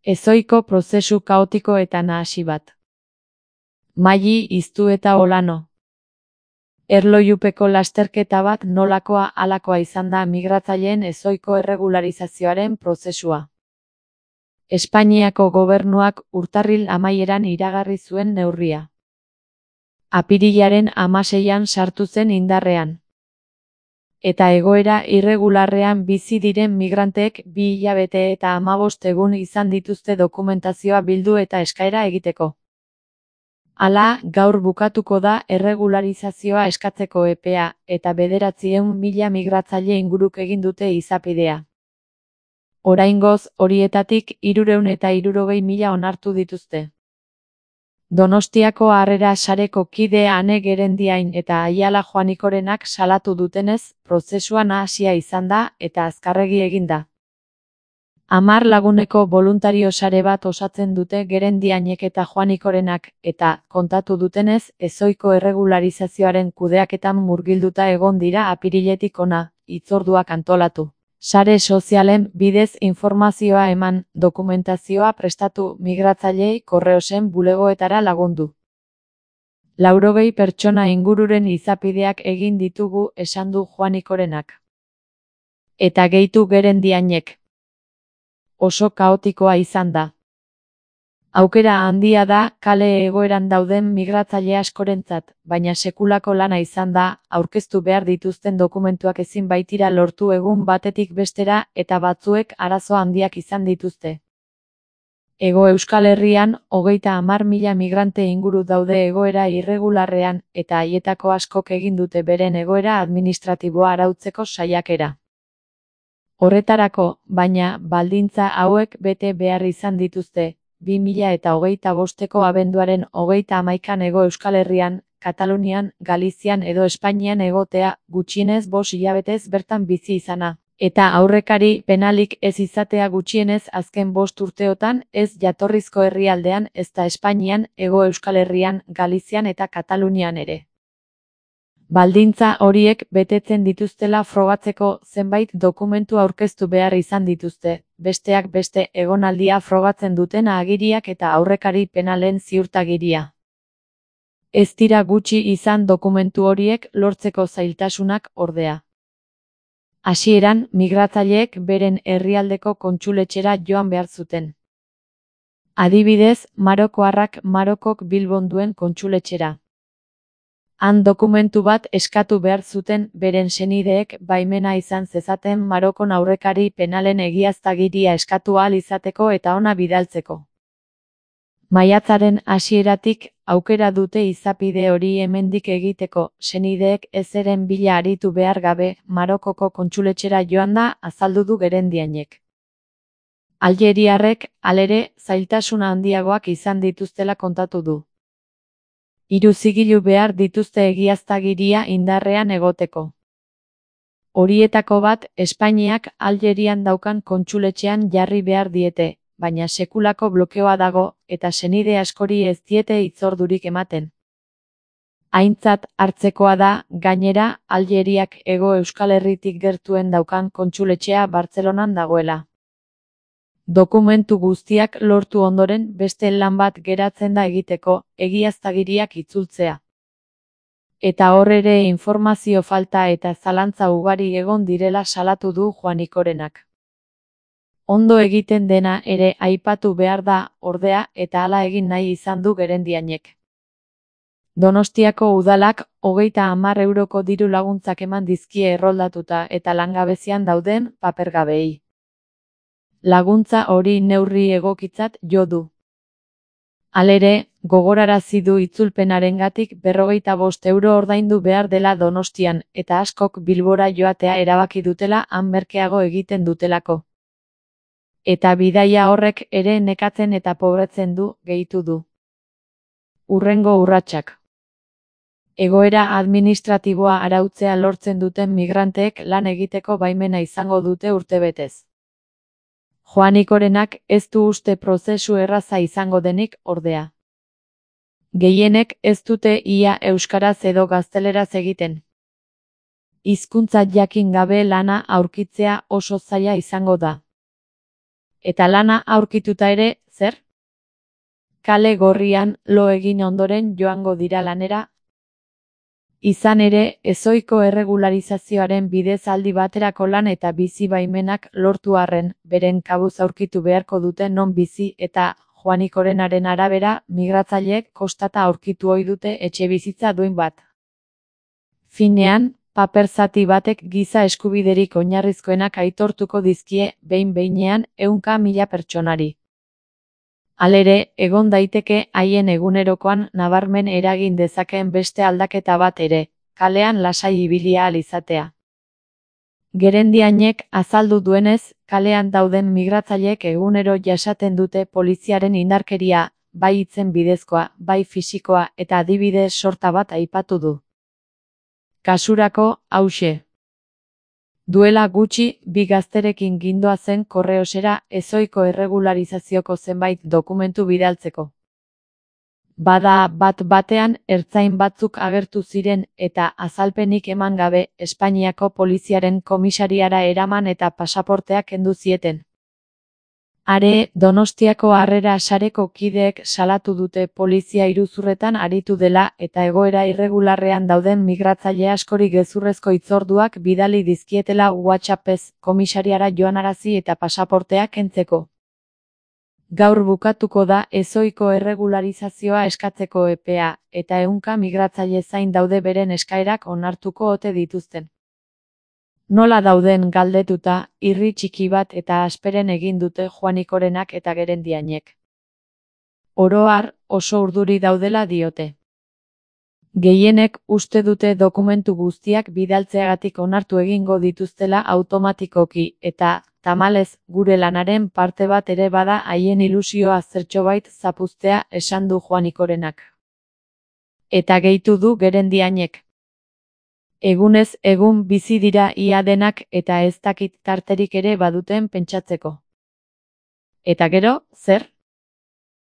Ezohiko prozesu kaotiko eta nahasi bat. Maili Iztu eta Olano. Erlojupeko lasterketa bat nolakoa halakoa izan da migratzaileen ezohiko erregularizazioaren prozesua. Espainiako gobernuak urtarril amaieran iragarri zuen neurria. Apirilaren 16an sartu zen indarrean. Eta egoera irregularrean bizi diren migranteek 2 hilabete eta 15 egun izan dituzte dokumentazioa bildu eta eskaera egiteko. Hala, gaur bukatuko da erregularizazioa eskatzeko epea, eta 900.000 migratzaile inguruk egin dute izapidea. Oraingoz, horietatik 360.000 onartu dituzte. Donostiako Harrera Sareko kide Ane Gerendiain eta Aiala Joanikorenak salatu dutenez, prozesua nahasia izan da eta azkarregi egin da. 10 laguneko boluntario sare bat osatzen dute Gerendiainek eta Joanikorenak, eta, kontatu dutenez, ezohiko erregularizazioaren kudeaketan murgilduta egon dira apiriletik hona, hitzorduak antolatu. Sare sozialen bidez informazioa eman, dokumentazioa prestatu, migratzaileei korreosen bulegoetara lagundu. 80 pertsona ingururen izapideak egin ditugu, esan du Joanikorenak. Eta gehitu Gerendiainek. Oso kaotikoa izan da. Aukera handia da kale egoeran dauden migratzaile askorentzat, baina sekulako lana izan da, aurkeztu behar dituzten dokumentuak ezin baitira lortu egun batetik bestera eta batzuek arazo handiak izan dituzte. Hego Euskal Herrian, 30.000 migrante inguru daude egoera irregularrean, eta haietako askok egin dute beren egoera administratiboa arautzeko saiakera. Horretarako, baina, baldintza hauek bete behar izan dituzte, 2025ko abenduaren 31an Hego Euskal Herrian, Katalunian, Galizian edo Espainian egotea, gutxienez 5 hilabetez bertan bizi izana, eta aurrekari penalik ez izatea gutxienez azken 5 urteotan, ez jatorrizko herrialdean ezta Espainian, Hego Euskal Herrian, Galizian eta Katalunian ere. Baldintza horiek betetzen dituztela frogatzeko zenbait dokumentu aurkeztu behar izan dituzte, besteak beste egonaldia frogatzen duten agiriak eta aurrekari penalen ziurtagiria. Ez dira gutxi izan dokumentu horiek lortzeko zailtasunak ordea. Hasieran, migratzaileek beren herrialdeko kontsuletxera joan behar zuten. Adibidez, marokoarrak Marokok Bilbon duen kontsuletxera. Han dokumentu bat eskatu behar zuten beren senideek baimena izan zezaten Marokon aurrekari penalen egiaztagiria eskatu ahal izateko eta hona bidaltzeko. Maiatzaren hasieratik aukera dute izapide hori hemendik egiteko, senideek ezeren bila aritu behar gabe Marokoko kontsuletxera joan da azaldu du Gerendiainek. Aljeriarrek, halere, zailtasuna handiagoak izan dituztela kontatu du. 3 zigilu behar dituzte egiaztagiria indarrean egoteko. Horietako bat, Espainiak Aljerian daukan kontsuletxean jarri behar diete, baina sekulako blokeoa dago, eta senide askori ez diete hitzordurik ematen. Aintzat hartzekoa da, gainera, Aljeriak Hego Euskal Herritik gertuen daukan kontsuletxea Bartzelonan dagoela. Dokumentu guztiak lortu ondoren beste lan bat geratzen da egiteko, egiaztagiriak itzultzea. Eta hor ere informazio falta eta zalantza ugari egon direla salatu du Joanikorenak. Ondo egiten dena ere aipatu behar da, ordea, eta hala egin nahi izan du Gerendiainek. Donostiako udalak 30 euroko diru laguntzak eman dizkie erroldatuta eta langabezian dauden papergabeei. Laguntza hori neurri egokitzat jo du. Halere, gogorarazi du itzulpenarengatik 55 euro ordaindu behar dela Donostian, eta askok Bilbora joatea erabaki dutela han merkeago egiten dutelako. Eta bidaia horrek ere nekatzen eta pobretzen du, gehitu du. Hurrengo urratsak. Egoera administratiboa arautzea lortzen duten migranteek lan egiteko baimena izango dute urtebetez. Joanikorenak ez du uste prozesu erraza izango denik, ordea. Gehienek ez dute ia euskaraz edo gazteleraz egiten. Hizkuntza jakin gabe lana aurkitzea oso zaila izango da. Eta lana aurkituta ere, zer? Kale gorrian lo egin ondoren joango dira lanera. Izan ere, ezohiko erregularizazioaren bidez aldi baterako lan eta bizi baimenak lortu arren, beren kabuz aurkitu beharko dute non bizi eta Juanikorenaren arabera, migratzaileek kostata aurkitu ohi dute etxebizitza duin bat. Finean, paper zati batek giza eskubiderik oinarrizkoenak aitortuko dizkie behin-behinean 100.000 pertsonari. Halere, egon daiteke haien egunerokoan nabarmen eragin dezakeen beste aldaketa bat ere, kalean lasai ibili ahal izatea. Gerendiainek azaldu duenez, kalean dauden migratzaileek egunero jasaten dute poliziaren indarkeria, bai hitzen bidezkoa, bai fisikoa eta adibide sorta bat aipatu du. Kasurako, hauxe. Duela gutxi, bi gazterekin gindoazen korreosera ezohiko erregularizazioko zenbait dokumentu bidaltzeko. Bada bat-batean ertzain batzuk agertu ziren eta azalpenik eman gabe Espainiako poliziaren komisariara eraman eta pasaporteak kendu zieten. Are, Donostiako Harrera Sareko kideek salatu dute polizia iruzurretan aritu dela eta egoera irregularrean dauden migratzaile askori gezurrezko hitzorduak bidali dizkietela WhatsAppez komisariara joanarazi eta pasaporteak kentzeko. Gaur bukatuko da ezohiko erregularizazioa eskatzeko epea, eta 100 migratzaile zain daude beren eskaerak onartuko ote dituzten. Nola dauden galdetuta, irri txiki bat eta asperen egin dute Juanikorenak eta Gerendiainek. Oro har, oso urduri daudela diote. Gehienek uste dute dokumentu guztiak bidaltzeagatik onartu egingo dituztela automatikoki eta, tamalez, gure lanaren parte bat ere bada haien ilusioa zertxobait zapuztea esan du Juanikorenak. Eta gehitu du Gerendiainek. Egunez egun bizi dira ia denak eta ez dakit tarterik ere baduten pentsatzeko. Eta gero, zer?